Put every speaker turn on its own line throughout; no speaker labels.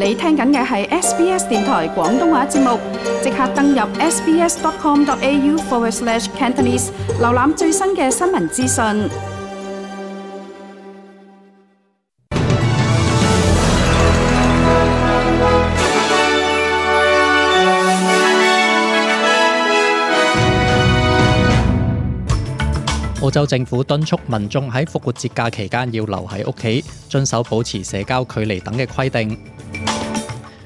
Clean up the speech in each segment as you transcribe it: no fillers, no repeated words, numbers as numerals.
你聽緊嘅係 SBS 電台廣東話節目，即刻登入 sbs.com.au/Cantonese， 瀏覽最新嘅新聞資訊。
澳洲政府敦促民眾喺復活節假期間要留喺屋企，遵守保持社交距離等嘅規定。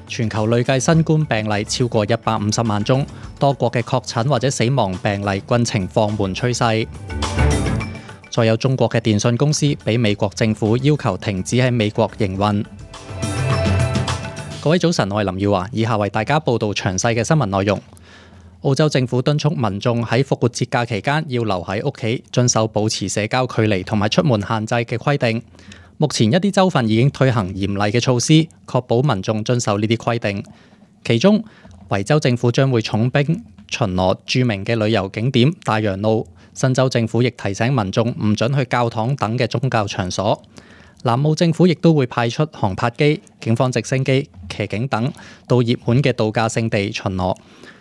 全球累計新冠病例超過150萬宗，多國嘅確診或者死亡病例均呈放緩趨勢。再有中國嘅電信公司俾美國政府要求停止喺美國營運。各位早晨，我係林耀華，以下為大家報道詳細嘅新聞內容。澳洲政府敦促民眾喺復活節假期間要留喺屋企，遵守保持社交距離同埋出門限制嘅規定。目前一啲州份已經推行嚴厲嘅措施，確保民眾遵守呢啲規定。其中，維州政府將會重兵巡邏著名嘅旅遊景點大洋路。新州政府亦提醒民眾唔准去教堂等嘅宗教場所。南澳政府亦都會派出航拍機、警方直升機、騎警等到熱門嘅度假勝地巡邏。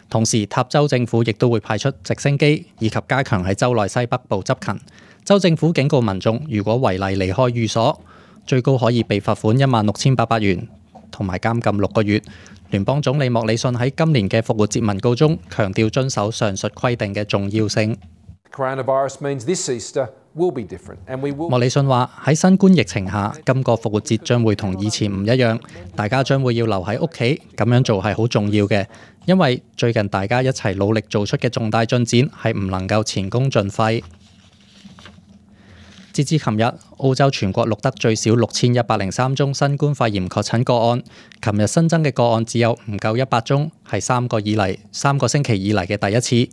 同時，塔州政府亦都會派出直升機，以及加強喺州內西北部執勤。州政府警告民眾，如果違例離開寓所，最高可以被罰款16,800元，同埋監禁6個月。聯邦總理莫里遜喺今年嘅復活節文告中強調遵守上述規定嘅重要性。莫里遜話：喺新冠疫情下，今個復活節將會同以前唔一樣，大家將會要留喺屋企，咁樣做係好重要嘅，因為最近大家一齊努力做出嘅重大進展係唔能夠前功盡廢。截至琴日，澳洲全國錄得最少6103宗新冠肺炎確診個案，琴日新增嘅個案只有唔夠100宗，係3個星期以嚟嘅第一次。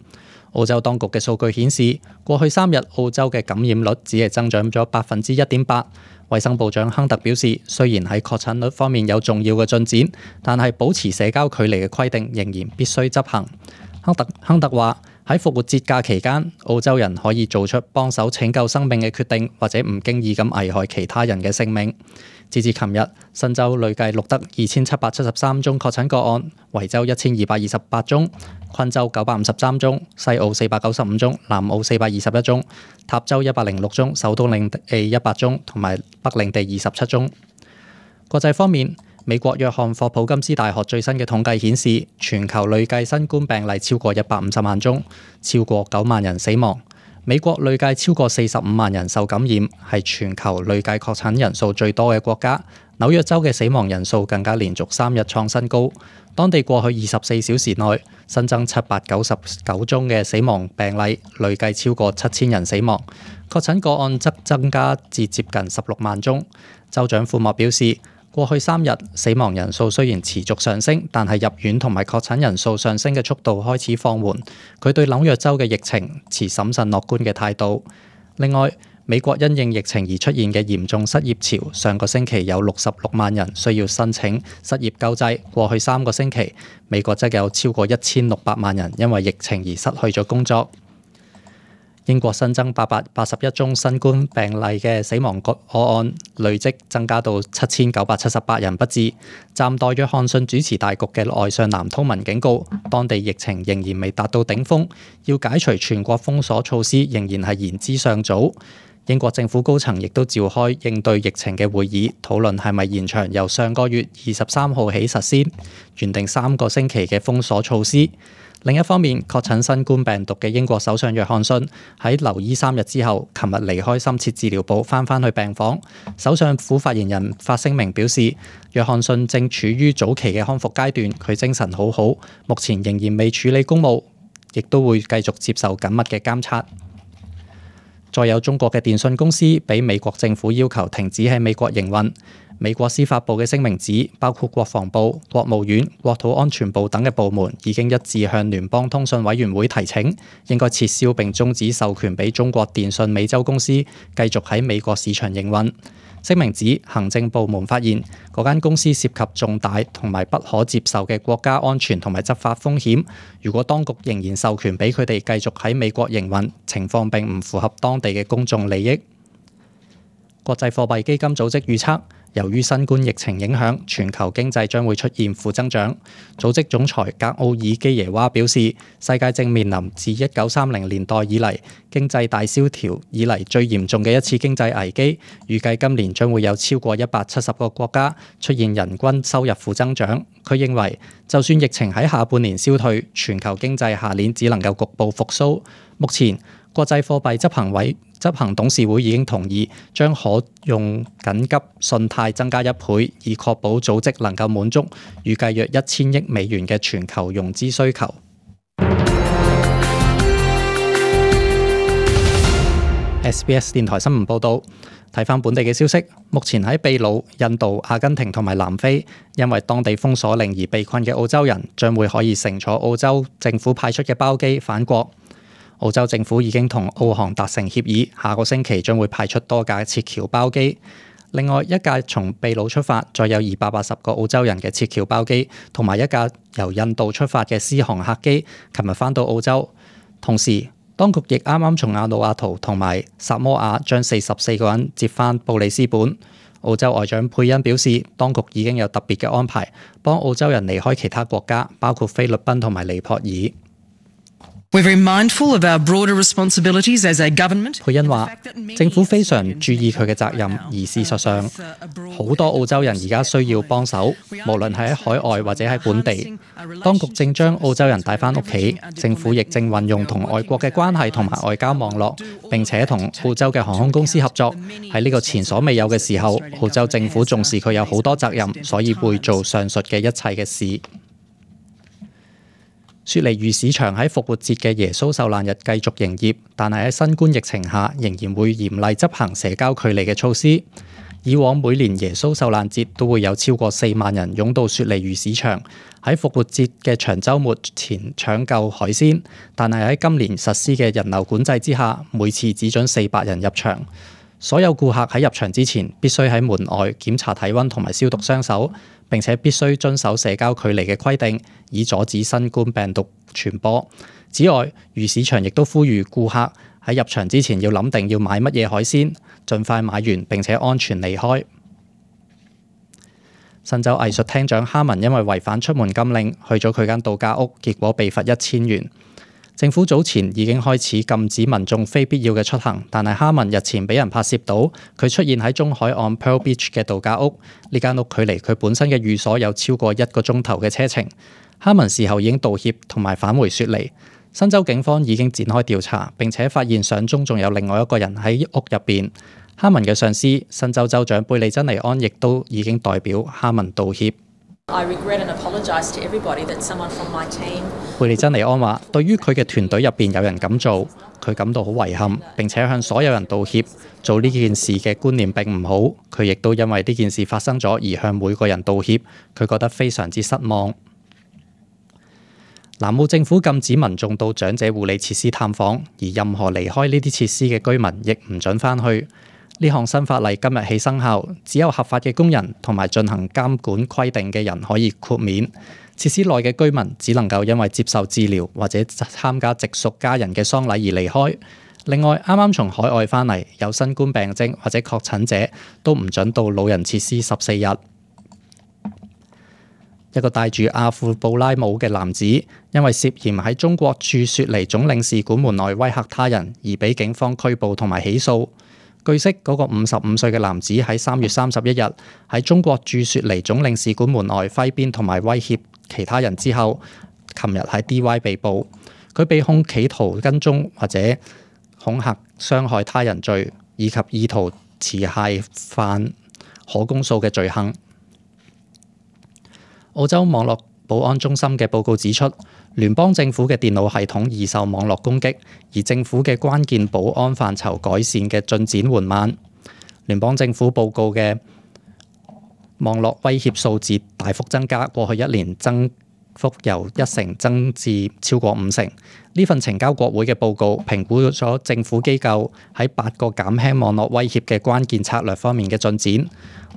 澳洲當局嘅數據顯示，過去3日澳洲嘅感染率只係增長咗1.8%。衛生部長亨特表示，雖然喺確診率方面有重要嘅進展，但係保持社交距離嘅規定仍然必須執行。亨特話：喺復活節假期間，澳洲人可以做出幫手拯救生命嘅決定，或者唔經意咁危害其他人嘅性命。截至琴日，新州累計錄得2773宗確診個案，維州1228宗，昆州953宗，西澳495宗，南澳421宗，塔州106宗，首都領地100宗，同埋北領地27宗。國際方面，美國約翰霍普金斯大學最新嘅統計顯示，全球累計新冠病例超過150萬宗，超過9萬人死亡。美國累計超過45萬人受感染，係全球累計確診人數最多嘅國家。紐約州嘅死亡人數更加連續3日創新高。當地過去24小時內新增799宗嘅死亡病例，累計超過7000人死亡。確診個案則增加至接近16萬宗。州長庫莫表示，過去3日死亡人數雖然持續上升，但係入院同埋確診人數上升嘅速度開始放緩。佢對紐約州嘅疫情持審慎樂觀嘅態度。另外，美國因應疫情而出現嘅嚴重失業潮，上個星期有66萬人需要申請失業救濟。過去3個星期，美國則有超過1600萬人因為疫情而失去咗工作。英國新增881宗新冠病例嘅死亡個案，累積增加到7978人不治。暫代約翰遜主持大局嘅外相藍韜文警告，當地疫情仍然未達到頂峰，要解除全國封鎖措施仍然係言之尚早。英國政府高層亦都召開應對疫情嘅會議，討論係咪延長由上個月23號起實施原定3個星期嘅封鎖措施。另一方面，確診新冠病毒嘅英國首相約翰遜喺留醫3日之後，琴日離開深切治療部返去病房。首相府發言人發聲明表示，約翰遜正處於早期嘅康復階段，佢精神好好，目前仍然未處理公務，亦都會繼續接受緊密嘅監察。再有中國嘅電信公司俾美國政府要求停止喺美國營運。美國司法部嘅聲明指，包括國防部、國務院、國土安全部等嘅部門已經一致向聯邦通訊委員會提請，應該撤銷並終止授權俾中國電信美洲公司繼續喺美國市場營運。聲明指，行政部門發現嗰間公司涉及重大同埋不可接受嘅國家安全同埋執法風險。如果當局仍然授權俾佢哋繼續喺美國營運，情況並唔符合當地嘅公眾利益。國際貨幣基金組織預測，由於新冠疫情影響，全球經濟將會出現負增長。組織總裁格奧爾基耶娃表示，世界正面臨自1930年代以嚟經濟大蕭條以嚟最嚴重嘅一次經濟危機，預計今年將會有超過170個國家出現人均收入負增長。佢認為，就算疫情喺下半年消退，全球經濟下年只能夠局部復甦。目前，國際貨幣執行董事會已經同意將可用緊急信貸增加1倍，以確保組織能夠滿足預計約1000億美元嘅全球融資需求。SBS 電台新聞報導，睇返本地嘅消息，目前喺秘魯、印度、阿根廷同埋南非，因為當地封鎖令而被困嘅澳洲人，將會可以乘坐澳洲政府派出嘅包機返國。澳洲政府已經同澳航達成協議，下個星期將會派出多架撤僑包機。另外一架從秘魯出發，載有280個澳洲人嘅撤僑包機，同埋一架由印度出發嘅獅航客機，琴日返到澳洲。同時，當局亦啱啱從瓦努阿圖同埋薩摩亞將44個人接返布里斯本。澳洲外長佩恩表示，當局已經有特別嘅安排，幫澳洲人離開其他國家，包括菲律賓同埋尼泊爾。
We're very mindful of our broader responsibilities as a government.
佩恩話：政府非常注意佢嘅責任，而事實上，好多澳洲人而家需要幫手，無論係喺海外或者喺本地。當局正將澳洲人帶返屋企，政府亦正運用同外國嘅關係同埋外交網絡，並且同澳洲嘅航空公司合作。喺呢個前所未有嘅時候，澳洲政府重視佢有好多責任，所以會做上述嘅一切嘅事。雪梨魚市場喺復活節嘅耶穌受難日繼續營業，但係喺新冠疫情下仍然會嚴厲執行社交距離嘅措施。以往每年耶穌受難節都會有超過4萬人湧到雪梨魚市場，喺復活節嘅長週末前搶購海鮮，但係喺今年實施嘅人流管制之下，每次只准400人入場。所有顧客喺入場之前必須喺門外檢查體溫同埋消毒雙手，並且必須遵守社交距離嘅規定，以阻止新冠病毒傳播。此外，魚市場亦都呼籲顧客喺入場之前要諗定要買乜嘢海鮮，盡快買完並且安全離開。新州藝術廳長哈文因為違反出門禁令，去咗佢間度假屋，結果被罰1000元。政府早前已經開始禁止民眾非必要嘅出行，但係哈文日前俾人拍攝到佢出現喺中海岸 Pearl Beach 嘅度假屋，呢間屋距離佢本身嘅寓所有超過1個鐘頭嘅車程。哈文事後已經道歉同埋返回雪梨。新州警方已經展開調查，並且發現相中仲有另外一個人喺屋入邊。哈文嘅上司新州州長貝利珍尼安亦都已經代表哈文道歉。貝利珍尼安話：對於佢嘅團隊入邊有人咁做，佢感到好遺憾，並且向所有人道歉。做呢件事嘅觀念並唔好，佢亦都因為呢件事發生咗而向每個人道歉。佢覺得非常之失望。南澳政府禁止民眾到長者護理設施探訪，而任何離開呢啲設施嘅居民亦唔准返去。呢項新法例今日起生效，只有合法嘅工人同埋進行監管規定嘅人可以豁免。設施內嘅居民只能夠因為接受治療或者參加直屬家人嘅喪禮而離開。另外，啱啱從海外返嚟有新冠病徵或者確診者都唔准到老人設施14日。一個戴住阿富布拉帽嘅男子，因為涉嫌喺中國駐雪梨總領事館門內威嚇他人，而被警方拘捕同埋起訴。據悉，嗰個55歲嘅男子喺3月31日喺中國駐雪梨總領事館門外揮鞭同埋威脅其他人之後，琴日喺 DY 被捕。佢被控企圖跟蹤或者恐嚇傷害他人罪，以及意圖持械犯可公訴嘅罪行。澳洲網絡保安中心嘅報告指出，聯邦政府嘅電腦系統易受網絡攻擊，而政府嘅關鍵保安範疇改善嘅進展緩慢。聯邦政府報告嘅網絡威脅數字大幅增加，過去1年增幅由1成增至超過5成。呢份呈交國會嘅報告評估咗政府機構喺8個減輕網絡威脅嘅關鍵策略方面嘅進展。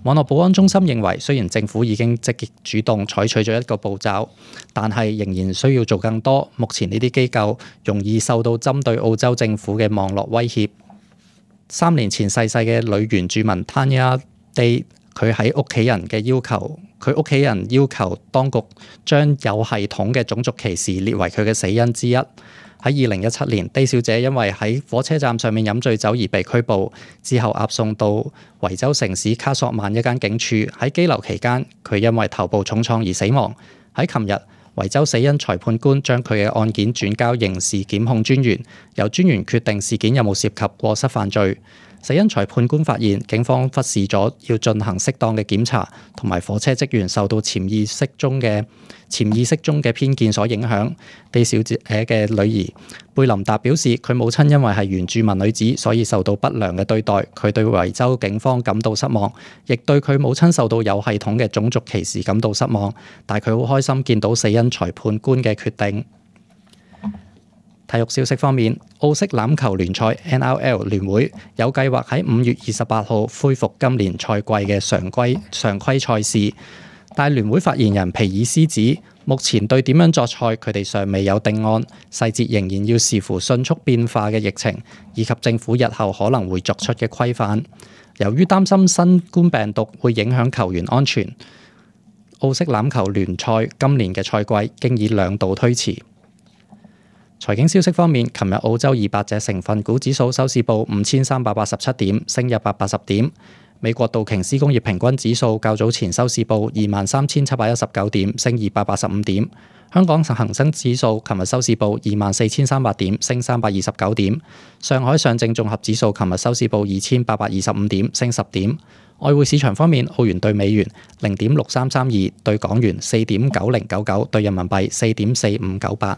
網絡保安中心認為，雖然政府已經積極主動採取咗一個步驟，但係仍然需要做更多。目前呢啲機構容易受到針對澳洲政府嘅網絡威脅。3年前逝世嘅女原住民 Tanya Day 佢屋企人要求當局將有系統嘅種族歧視列為佢嘅死因之一。喺2017年，D 小姐因為喺火車站上面飲醉酒而被拘捕，之後押送到維州城市卡索曼一間警署。喺羈留期間，佢因為頭部重創而死亡。喺琴日，維州死因裁判官將佢嘅案件轉交刑事檢控專員，由專員決定事件有冇涉及過失犯罪。死因裁判官發現，警方忽視咗要進行適當嘅檢查，同埋火車職員受到潛意識中嘅偏見所影響。D 小姐嘅女兒貝琳達表示，佢母親因為係原住民女子，所以受到不良嘅對待。佢對維州警方感到失望，亦對佢母親受到有系統嘅種族歧視感到失望。但佢好開心見到死因裁判官嘅決定。體育消息方面，澳式欖球聯賽 NRL 聯會有計劃喺5月28號恢復今年賽季嘅常規賽事，但聯會發言人皮爾斯指，目前對點樣作賽佢哋尚未有定案，細節仍然要視乎迅速變化嘅疫情以及政府日後可能會作出嘅規範。由於擔心新冠病毒會影響球員安全，澳式欖球聯賽今年嘅賽季經已2度推遲。財經消息方面，琴日澳洲200隻成分股指數收市報5387點，升180點。美國道瓊斯工業平均指數較早前收市報23,719點，升285點。香港恒生指數琴日收市報24,300點，升329點。上海上證綜合指數琴日收市報2,825點，升10點。外匯市場方面，澳元對美元0.6332，對港元4.9099，對人民幣4.4598。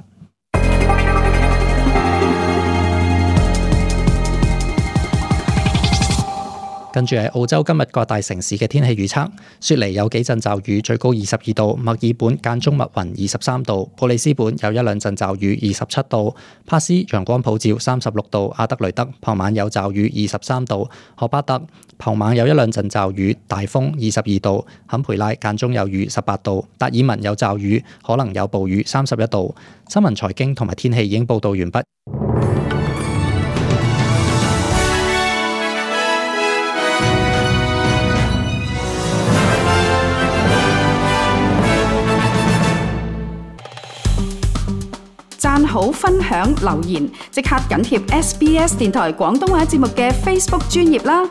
跟住係澳洲今日各大城市嘅天氣預測：雪梨有幾陣驟雨，最高22度；墨爾本間中密雲23度；布里斯本有一兩陣驟雨27度；帕斯陽光普照36度；阿德雷德傍晚有驟雨23度；荷巴特傍晚有一兩陣驟雨，大風22度；坎培拉間中有雨18度；達爾文有驟雨，可能有暴雨31度。新聞財經同埋天氣已經報道完畢。
讚好、分享、留言，即刻緊貼SBS 電台廣東話節目嘅 Facebook 專頁啦！